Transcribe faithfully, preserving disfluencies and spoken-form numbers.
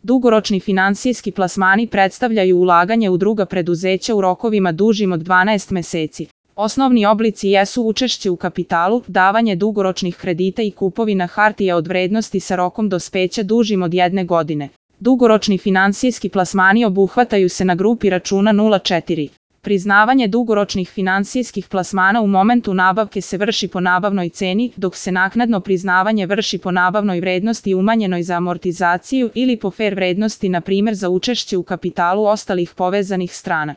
Dugoročni finansijski plasmani predstavljaju ulaganje u druga preduzeća u rokovima dužim od dvanaest meseci. Osnovni oblici jesu učešće u kapitalu, davanje dugoročnih kredita i kupovina hartija od vrednosti sa rokom dospeća dužim od jedne godine. Dugoročni finansijski plasmani obuhvataju se na grupi računa nula četiri. Priznavanje dugoročnih finansijskih plasmana u momentu nabavke se vrši po nabavnoj ceni, dok se naknadno priznavanje vrši po nabavnoj vrednosti umanjenoj za amortizaciju ili po fer vrednosti, na primjer za učešće u kapitalu ostalih povezanih strana.